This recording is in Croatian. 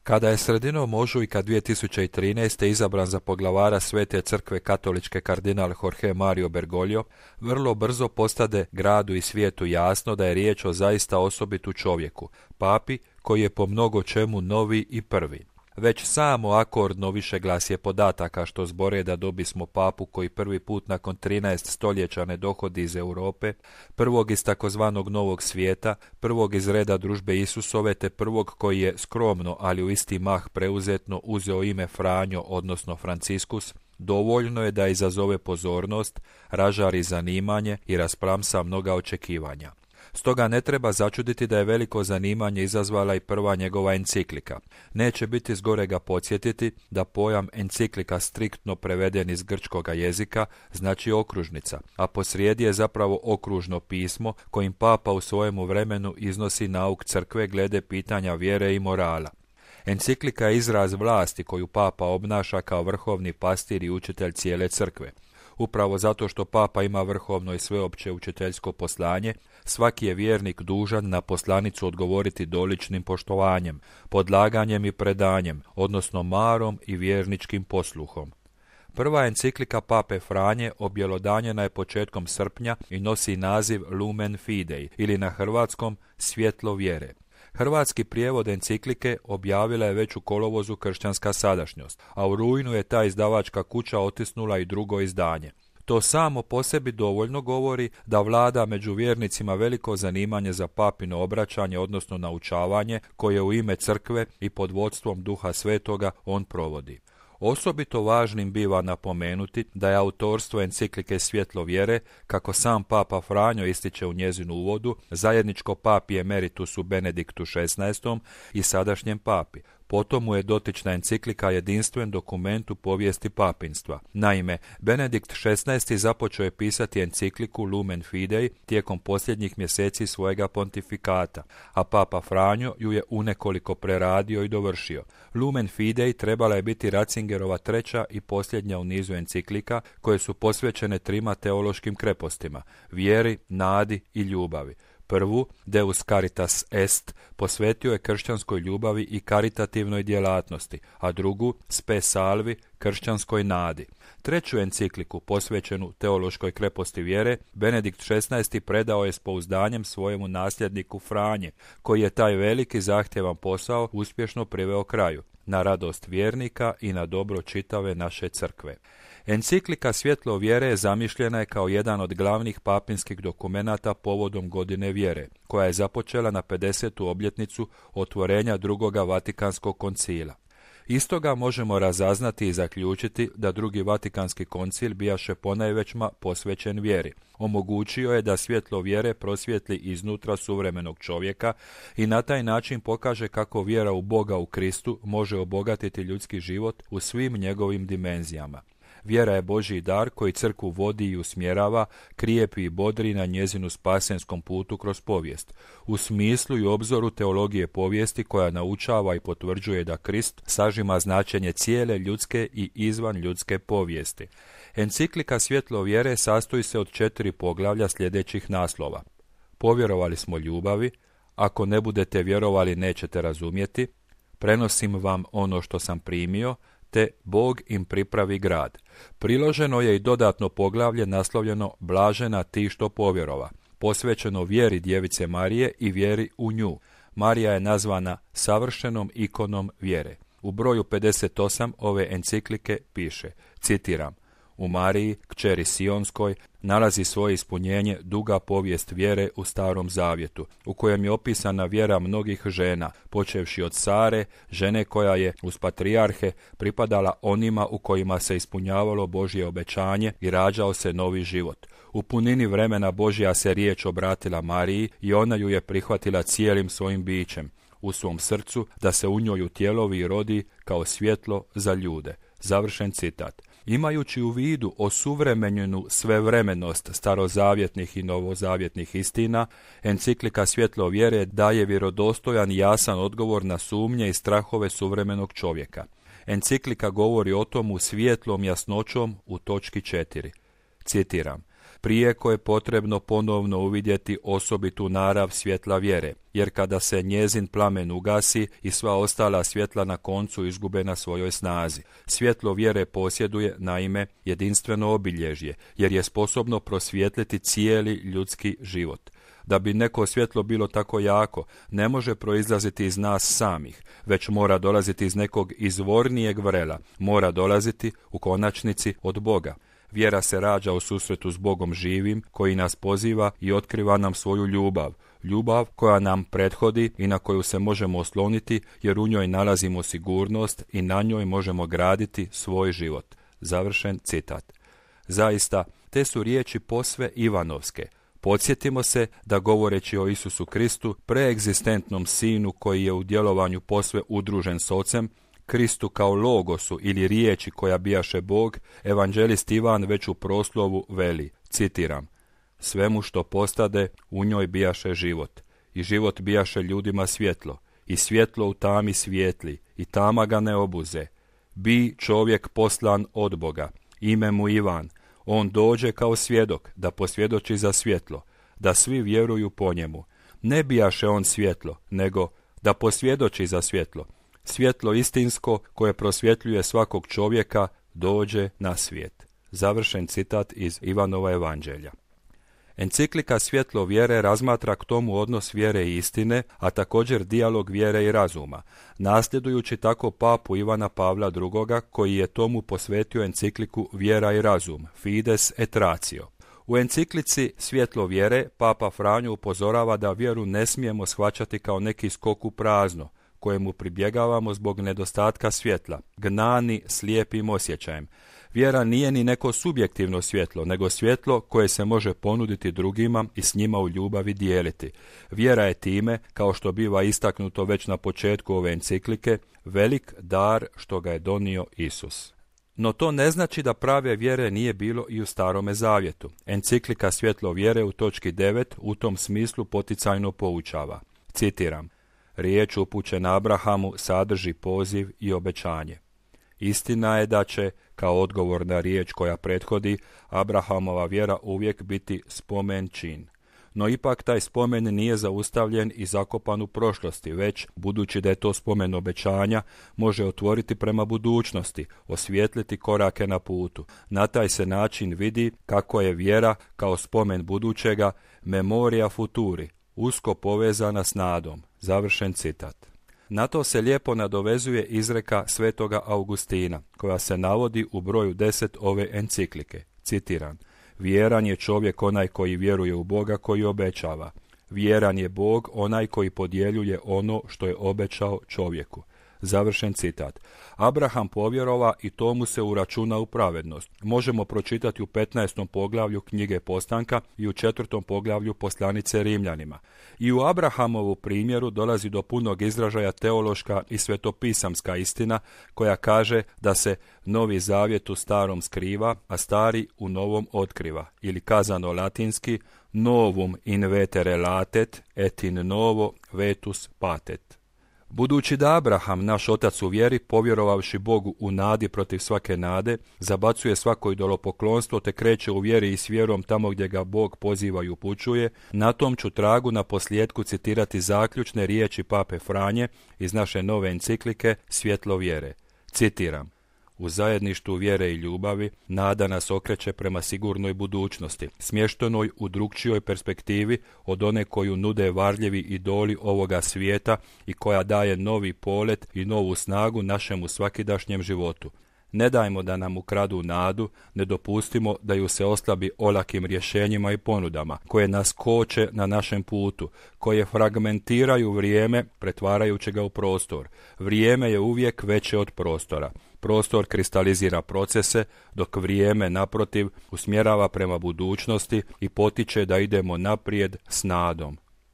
Kada je sredinom ožujka 2013. izabran za poglavara Svete crkve katoličke kardinal Jorge Mario Bergoglio, vrlo brzo postade gradu i svijetu jasno da je riječ o zaista osobitu čovjeku, papi koji je po mnogo čemu novi i prvi. Već samo akordno višeglasje podataka što zbore da dobismo papu koji prvi put nakon 13 stoljeća ne dohodi iz Europe, prvog iz takozvanog novog svijeta, prvog iz reda družbe Isusove te prvog koji je skromno, ali u isti mah preuzetno uzeo ime Franjo, odnosno Franciskus, dovoljno je da izazove pozornost, ražari zanimanje i rasplamsa mnoga očekivanja. Stoga ne treba začuditi da je veliko zanimanje izazvala i prva njegova enciklika. Neće biti zgorega podsjetiti da pojam enciklika striktno preveden iz grčkoga jezika znači okružnica, a posrijedi je zapravo okružno pismo kojim papa u svojemu vremenu iznosi nauk crkve glede pitanja vjere i morala. Enciklika je izraz vlasti koju papa obnaša kao vrhovni pastir i učitelj cijele crkve. Upravo zato što papa ima vrhovno i sveopće učiteljsko poslanje, svaki je vjernik dužan na poslanicu odgovoriti doličnim poštovanjem, podlaganjem i predanjem, odnosno marom i vjerničkim posluhom. Prva enciklika pape Franje objelodanjena je početkom srpnja i nosi naziv Lumen Fidei ili na hrvatskom Svjetlo vjere. Hrvatski prijevod enciklike objavila je već u kolovozu Kršćanska sadašnjost, a u rujnu je ta izdavačka kuća otisnula i drugo izdanje. To samo po sebi dovoljno govori da vlada među vjernicima veliko zanimanje za papino obraćanje, odnosno naučavanje, koje u ime crkve i pod vodstvom Duha Svetoga on provodi. Osobito važnim biva napomenuti da je autorstvo enciklike Svjetlo vjere, kako sam papa Franjo ističe u njezinu uvodu, zajedničko papi emeritusu Benediktu XVI i sadašnjem papi. Potom mu je dotična enciklika jedinstven dokument u povijesti papinstva. Naime, Benedikt XVI započeo je pisati encikliku Lumen Fidei tijekom posljednjih mjeseci svojega pontifikata, a papa Franjo ju je unekoliko preradio i dovršio. Lumen Fidei trebala je biti Ratzingerova treća i posljednja u nizu enciklika koje su posvećene trima teološkim krepostima, vjeri, nadi i ljubavi. Prvu, Deus Caritas Est, posvetio je kršćanskoj ljubavi i karitativnoj djelatnosti, a drugu, Spe Salvi, kršćanskoj nadi. Treću encikliku, posvećenu teološkoj kreposti vjere, Benedikt XVI predao je s pouzdanjem svojemu nasljedniku Franje, koji je taj veliki zahtjevan posao uspješno priveo kraju, na radost vjernika i na dobro čitave naše crkve. Enciklika Svjetlo vjere zamišljena je kao jedan od glavnih papinskih dokumenata povodom godine vjere, koja je započela na 50. obljetnicu otvorenja drugoga Vatikanskog koncila. Istoga možemo razaznati i zaključiti da drugi Vatikanski koncil bijaše ponajvećma posvećen vjeri. Omogućio je da svjetlo vjere prosvijetli iznutra suvremenog čovjeka i na taj način pokaže kako vjera u Boga u Kristu može obogatiti ljudski život u svim njegovim dimenzijama. Vjera je Božji dar koji crkvu vodi i usmjerava, krijepi i bodri na njezinu spasenskom putu kroz povijest, u smislu i obzoru teologije povijesti koja naučava i potvrđuje da Krist sažima značenje cijele ljudske i izvan ljudske povijesti. Enciklika Svjetlo vjere sastoji se od 4 poglavlja sljedećih naslova. Povjerovali smo ljubavi, ako ne budete vjerovali nećete razumjeti, prenosim vam ono što sam primio, te Bog im pripravi grad. Priloženo je i dodatno poglavlje naslovljeno Blažena ti što povjerova, posvećeno vjeri Djevice Marije i vjeri u nju. Marija je nazvana savršenom ikonom vjere. U broju 58 ove enciklike piše, citiram, u Mariji, kćeri Sionskoj, nalazi svoje ispunjenje duga povijest vjere u Starom Zavjetu, u kojem je opisana vjera mnogih žena, počevši od Sare, žene koja je uz patrijarhe pripadala onima u kojima se ispunjavalo Božje obećanje i rađao se novi život. U punini vremena Božja se riječ obratila Mariji i ona ju je prihvatila cijelim svojim bićem, u svom srcu, da se u njoj utjelovi i rodi kao svjetlo za ljude. Završen citat. Imajući u vidu osuvremenjenu svevremenost starozavjetnih i novozavjetnih istina, enciklika Svjetlo vjere daje vjerodostojan i jasan odgovor na sumnje i strahove suvremenog čovjeka. Enciklika govori o tomu svijetlom jasnoćom u točki 4. Citiram, prijeko je potrebno ponovno uvidjeti osobitu narav svjetla vjere, jer kada se njezin plamen ugasi i sva ostala svjetla na koncu izgube na svojoj snazi. Svjetlo vjere posjeduje, naime, jedinstveno obilježje, jer je sposobno prosvijetliti cijeli ljudski život. Da bi neko svjetlo bilo tako jako, ne može proizlaziti iz nas samih, već mora dolaziti iz nekog izvornijeg vrela, mora dolaziti, u konačnici, od Boga. Vjera se rađa u susretu s Bogom živim, koji nas poziva i otkriva nam svoju ljubav. Ljubav koja nam prethodi i na koju se možemo osloniti, jer u njoj nalazimo sigurnost i na njoj možemo graditi svoj život. Završen citat. Zaista, te su riječi posve ivanovske. Podsjetimo se da govoreći o Isusu Kristu, preegzistentnom sinu koji je u djelovanju posve udružen s Ocem, Kristu kao logosu ili riječi koja bijaše Bog, evanđelist Ivan već u proslovu veli, citiram: svemu što postade, u njoj bijaše život, i život bijaše ljudima svjetlo, i svjetlo u tami svijetli, i tama ga ne obuze. Bi čovjek poslan od Boga, ime mu Ivan, on dođe kao svjedok da posvjedoči za svjetlo, da svi vjeruju po njemu. Ne bijaše on svjetlo, nego da posvjedoči za svjetlo. Svjetlo istinsko koje prosvjetljuje svakog čovjeka dođe na svijet. Završen citat iz Ivanova evanđelja. Enciklika Svjetlo vjere razmatra k tomu odnos vjere i istine, a također dijalog vjere i razuma, nasljedujući tako papu Ivana Pavla II. Koji je tomu posvetio encikliku Vjera i razum, Fides et Ratio. U enciklici Svjetlo vjere papa Franjo upozorava da vjeru ne smijemo shvaćati kao neki skok u prazno, kojemu pribjegavamo zbog nedostatka svjetla, gnani slijepim osjećajem. Vjera nije ni neko subjektivno svjetlo, nego svjetlo koje se može ponuditi drugima i s njima u ljubavi dijeliti. Vjera je time, kao što biva istaknuto već na početku ove enciklike, velik dar što ga je donio Isus. No to ne znači da prave vjere nije bilo i u Starome zavjetu. Enciklika Svjetlo vjere u točki 9 u tom smislu poticajno poučava. Citiram: riječ upućena Abrahamu sadrži poziv i obećanje. Istina je da će, kao odgovor na riječ koja prethodi, Abrahamova vjera uvijek biti spomen čin. No ipak taj spomen nije zaustavljen i zakopan u prošlosti, već, budući da je to spomen obećanja, može otvoriti prema budućnosti, osvijetliti korake na putu. Na taj se način vidi kako je vjera, kao spomen budućega, memoria futuri, usko povezana s nadom. Završen citat. Na to se lijepo nadovezuje izreka svetoga Augustina, koja se navodi u broju 10 ove enciklike. Citiram: vjeran je čovjek onaj koji vjeruje u Boga koji obećava. Vjeran je Bog onaj koji podjeljuje ono što je obećao čovjeku. Završen citat. Abraham povjerova i to mu se uračuna u pravednost. Možemo pročitati u 15. poglavlju knjige Postanka i u 4. poglavlju poslanice Rimljanima. I u Abrahamovu primjeru dolazi do punog izražaja teološka i svetopisamska istina koja kaže da se Novi zavjet u starom skriva, a stari u novom otkriva. Ili kazano latinski, novum in vetere latet et in novo vetus patet. Budući da Abraham, naš otac u vjeri, povjerovavši Bogu u nadi protiv svake nade, zabacuje svako idolopoklonstvo te kreće u vjeri i s vjerom tamo gdje ga Bog poziva i upućuje, na tom ću tragu na posljedku citirati zaključne riječi pape Franje iz naše nove enciklike Svjetlo vjere. Citiram: u zajedništvu vjere i ljubavi nada nas okreće prema sigurnoj budućnosti, smještenoj u drukčijoj perspektivi od one koju nude varljivi idoli ovoga svijeta i koja daje novi polet i novu snagu našemu svakidašnjem životu. Ne dajmo da nam ukradu nadu, ne dopustimo da ju se oslabi olakim rješenjima i ponudama, koje nas koče na našem putu, koje fragmentiraju vrijeme, pretvarajući ga u prostor. Vrijeme je uvijek veće od prostora. Prostor kristalizira procese, dok vrijeme, naprotiv, usmjerava prema budućnosti i potiče da idemo naprijed s nadom.